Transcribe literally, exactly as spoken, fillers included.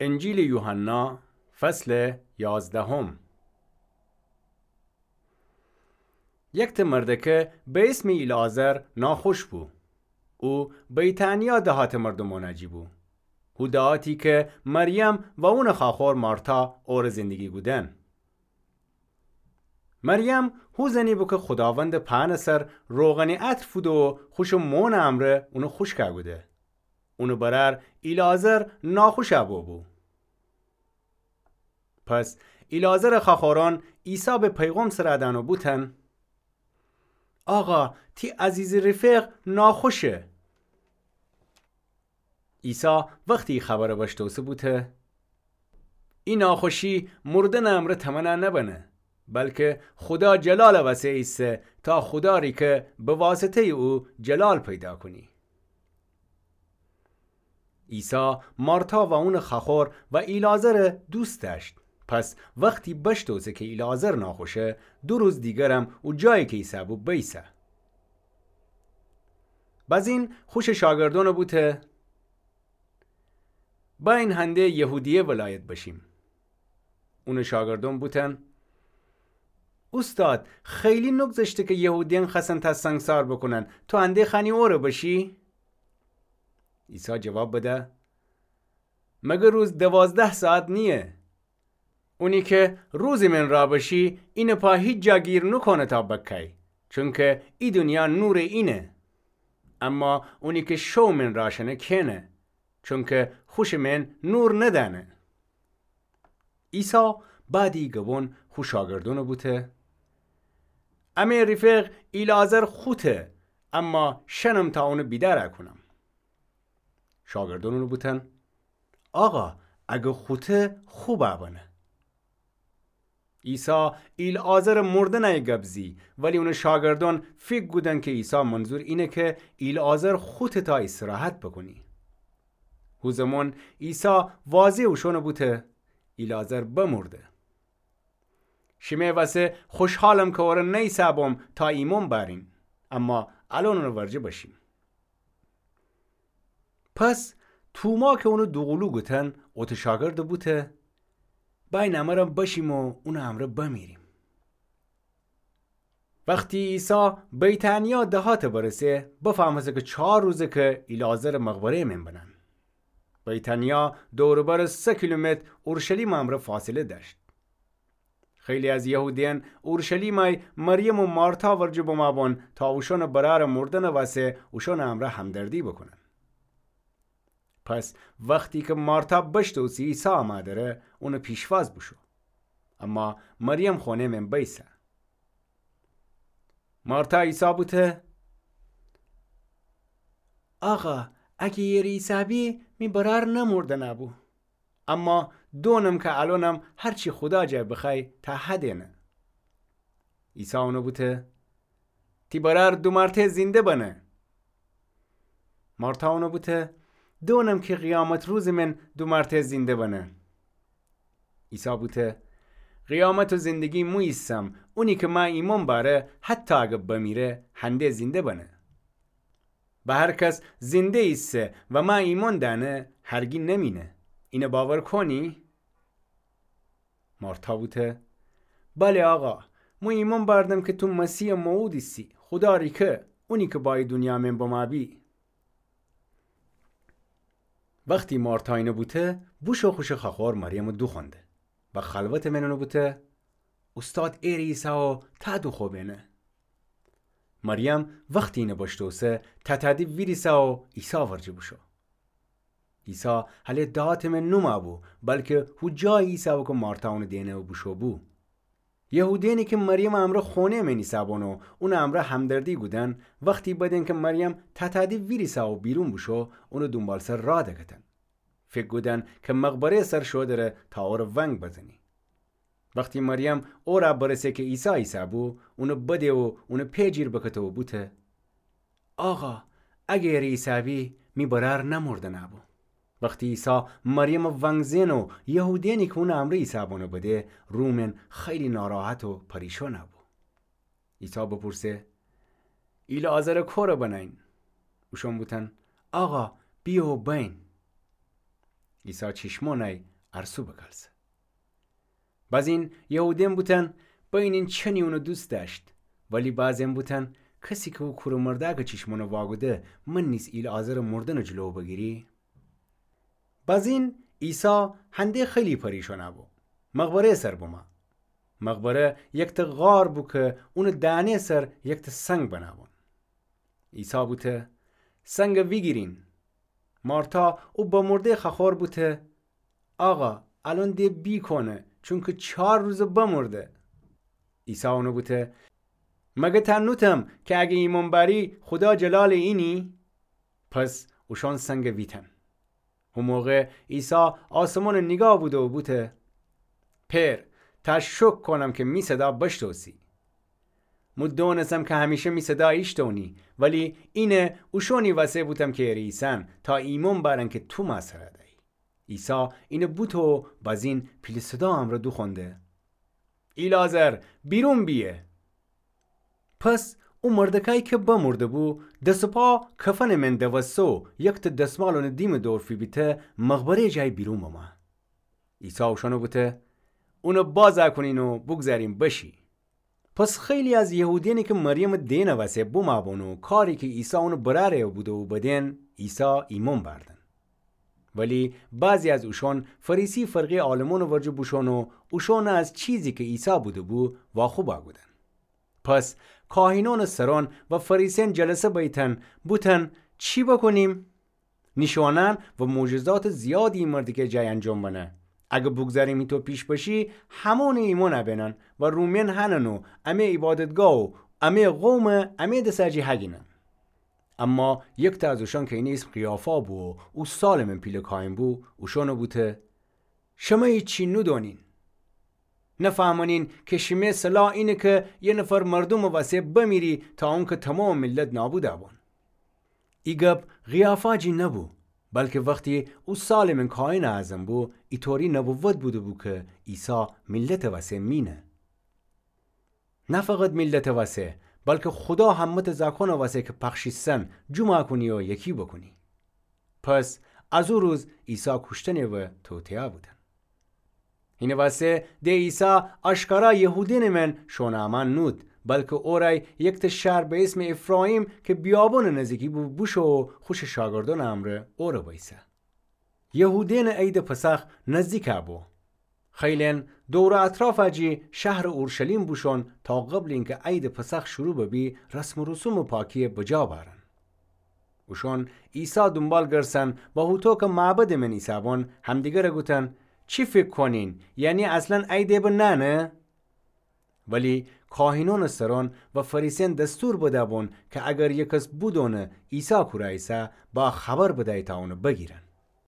انجیلٚ یوحنا، فصلٚ یازدهم. یکته مردکه به اسمٚ ایلعازر ناخوش بو. او بیتانیا دهاتٚ مردومأنٚ جی بو. هو دهاتی کی مریم و اونٚ خاخور مارتا اورٚ زندگی کودن. مریم هو زنی بو کی خوداوندٚ پأنٚ سر روغنٚ عطر فوده و خوشٚ مونٚ امرأ اونٚ خوشکَ کوده. اونٚ برأر ایلعازر ناخوشَ بوبو. پس ایلعازرٚ خاخورأن عیسی به پیغام سر دأن و بوتن: آقا، تی عزیزٚ رفیق ناخوشه. عیسی وختی ای خبرَ بشتوسه بوته: ای ناخوشی مردنٚ امرأ تمنَ نبنه، بلکه خودا جلالٚ وسه ایسه تا خودا ریکه به واسطه‌یٚ او جلال پیدا کونی. عیسی مارتا و اونٚ خاخور و ایلعازرَ دوست دأشت. پس وختی بشتوسه کی ایلعازر ناخوشه، دو روز دیگرم او جایی کی ایسه‌بو بیسه. بزین خوشٚ شاگردأنَ بوته: بأیین هنده یهودیه ولایت بشیم. اونٚ شاگردأن بوتن: اوستاد، خیلی نوگذشته کی یهودیأن خوأستن تأ سنگسار بوکونن، تو هنده خوأنی اورَ بشی؟ عیسی جواب بده: مگه روز دوازده ساعت نییه؟ اونی کی روزٚ من راه بشی، اینٚ پا هیچ جا گیر نوکونه تا بکأی، چونکی ای دونیا نورٚ اینه. اما اونی کی شوٚ من راه شنه کئنه، چونکی خوشٚ من نور ندأنه. عیسی بعدٚ ای گبون خو شاگردأنَ بوته: امه رفیق ایلعازر خوته، اما شنم تا اونَ بیدارَ کونم. شاگردأن اونَ بوتن: آقا، اگه خوته، خوبَ بنه. عیسی ایلعازرٚ مردنٚ ای گب زی، ولی اونٚ شاگردأن فیکر کودن کی عیسی منظور اینه کی ایلعازر خوته تا استراحت بوکونی. هو زمان عیسی واضح اوشأنَ بوته: ایلعازر بمرده. شیمه وسه خوشحالم کی اورَ نیسه‌بوم تا ایمأن بأرین، اما الأن اونٚ ورجه بشیم. پس توما کی اونَ دوقولو گوتن، اوتٚ شاگردَ بوته: بأیین امرم بشیم و اونٚ امرأ بمیریم. وختی عیسی بیتانیا دهاتَ برسه، بفهمسه کی چار روزه کی ایلعازرٚ مقبره‌یٚ من بنن. بیتانیا دور و بر سه کیلومتر اورشلیمٚ امرأ فاصله دأشت. خیلی از یهودیأن اورشلیمَ ای مریم و مارتا ورجه بمأبون تا اوشأنٚ برأرٚ مردنٚ وسه اوشأنٚ امرأ همدردی بوکونن. پس وختی کی مارتا بشتوسی عیسی امه دره، اونٚ پیشواز بوشو. اما مریم خونه من بیسه. مارتا عیسی بوته: آقا، اگه ایسه‌بی، می برأر نمردنَ بو. اما دونم کی الأنم هر چی خودا جا بخوأی تا هدینه. عیسی اونَ بوته: تی برأر دو مرتأ زنده بنه. مارتا اونَ بوته: دونم کی قیامت روزٚ من دو مرتأ زنده بنه. عیسی بوته: قیامت و زندگی مو ایسم، اونی کی مه ایمأن بأره، حتی اگر بمیره، هنده زنده بنه. به هر کس زنده ایسه و مه ایمأن دأنه، هرگی نمینه. اینَ باور کونی؟ مارتا بوته: بله آقا، مو ایمأن بأردم کی تو مسیحٚ موعود ایسی، خودا ریکه، اونی کی با ای دونیا من بمأبی. وختی مارتا اینَ بوته، بوشو خوشٚ خوأخور مریمٚ دوخوأنده و خلوتٚ من اونَ بوته: اوستاد ایره ایسه و تأ دوخوأ بینه. مریم وختی اینَ بشتوسه، تأتأدی ویریسه و عیسی ورجه بوشو. عیسی هله دهاتٚ من نومأبو، بلکی هو جایی ایسه‌بو کی مارتا اونٚ دئنه و بوشو بو. یهودیأنی کی مریمٚ امرأ خونه‌یٚ من ایسه‌بون و اونٚ امرأ همدردی کودن، وختی بدین کی مریم تأتأدی ویریسه و بیرون بوشو، اونٚ دونبالسر راه دکتن. فیکر کودن کی مقبره‌یٚ سر شو دره تا اورَ ونگ بزنی. وختی مریم اورَ برسه کی عیسی ایسه‌بو، اونَ بده و اونٚ پئ جیر بکته و بوته: آقا، اگر ایسه‌بی، می برأر نمردنَ بو. وختی عیسی مریمٚ ونگ زئن و یهودیأنی کی اونٚ امرأ ایسه‌بونَ بده، رو من خیلی ناراحت و پریشانَ بو. عیسی بپورسه: ایلعازرَ کورَ بنه‌یین؟ اوشأن بوتن: آقا، بیه و بأیین. عیسی چیشمانَ ارسو بکلسه. بازین یهودیأن بوتن بینین چنی اونَ دوست دأشت، ولی بعضی‌یأن بوتن کسی کی او کورٚ مردأکٚ چیشمانَ واگوده، من نیز ایلعازرٚ مردنٚ جلو بگیری؟ بازین عیسی هنده خیلی پریشان بو، مقبره‌یٚ سر بمو. مقبره یکتأ غار بو کی اونٚ دهنه‌یٚ سر یکتأ سنگ بنه بون. عیسی بوته: سنگَ ویگیرین. مارتا او بمرده خوأخور بوته: آقا، الأن دِ بیکونه، چونکی چار روزه بمرده. عیسی اونَ بوته: مگر تأ نوتم کی اگه ایمأن بأری خودا جلالٚ اینی؟ پس اوشأن سنگَ ویتن. هو موقع عیسی آسمانَ نیگاه بوده و بوته: پئر، تأ شوکر کونم کی می صدا بشتوسی. مو دونستم کی همیشه می صدا ایشتونی، ولی اینه اوشونی وسه بوتم کی اره ایسن، تا ایمأن بأرن کی تو مأ سرَ دأیی. عیسی اینَ بوته و بازین پیله صدا امرأ دوخوأنده: ایلعازر، بیرون بیه! پس او مردکأی کی بمرده بو، دس و پا کفنٚ من دوسته و یکتأ دسمال اونٚ دیمٚ دور فیبیته، مقبره‌یٚ جای بیرون بمو. عیسی اوشأنَ بوته: اونَ باز کونین و بوگذارین بشی. پس خیلی از یهودیأنی کی مریمٚ دئنٚ وسه بمو بون و کاری کی عیسی اونٚ برأرَ بوده و بدین، عیسی ایمأن بأردن. ولی بعضی از اوشأن فریسی فرقه‌یٚ عالمأنٚ ورجه بوشون و اوشأنَ از چیزی کی عیسی بوده بو واخوب بوکودن. پس کاهینأنٚ سرأن و فریسیأن جلسه بیتن، بوتن: چی بوکونیم؟ نیشأنأن و معجزاتٚ زیادی ای مردکه جای انجام بنه. اگر بوگذاریم هیطو پیش بشی، همأنٚ ایمأن ابینن و رومیأن هنن و امه عیبادتگاه و امه قومَ امه دسه جی هگینن. اما یکتأ از اوشأن کی اینٚ ایسم قیافا بو و او سالٚ من پیله کاهین بو، اوشأنَ بوته: شمه هیچی نودونین. نفهمنین کی شیمه صلاح اینه کی یه نفر مردومٚ وسه بمیری تا اونکی تومامٚ میللت نابود بون. ای گب قیافا جی نبو، بلکی وختی او سالٚ من کاهنٚ اعظم بو، ایطوری نبوت بوده بو کی عیسی میللتٚ وسه مینه. نه فقط میللتٚ وسه، بلکی خودا همه‌تأ زاکانٚ وسه کی پخشیسن، جومَ کونی و یکی بوکونی. پس از او روز عیسی کوشتنی و توطئه بودن. هینٚ وسه د عیسی آشکارا یهودینٚ من شون امأن نود، بلکی اورأی یکتأ شهر به ایسمٚ افراییم کی بیابونٚ نزدیکی بو بوشو و خوشٚ شاگردونٚ امرأ اورأ بیسه. یهودینٚ عیدٚ پسخ نزدیک بو. خیلن دور و اطرافٚ جی شهرٚ اورشلیم بوشون تا قبلٚ اینکی عیدٚ پسخ شروع ببی رسم و رسومٚ پاکیی بجا بأرن. اوشون عیسی دونبال گرسن و هوطو کی معبدٚ من ایسه‌بون همدیگرَ گوتن: چی فیکر کونین؟ یعنی اصلاً عیدٚ به نأنه؟ ولی کاهینونٚ سرون و فریسیأن دستور بده‌بون کی اگر یکس بودونه عیسی کورا ایسه، با خبر بدأیی تا اونٚ بگیرن.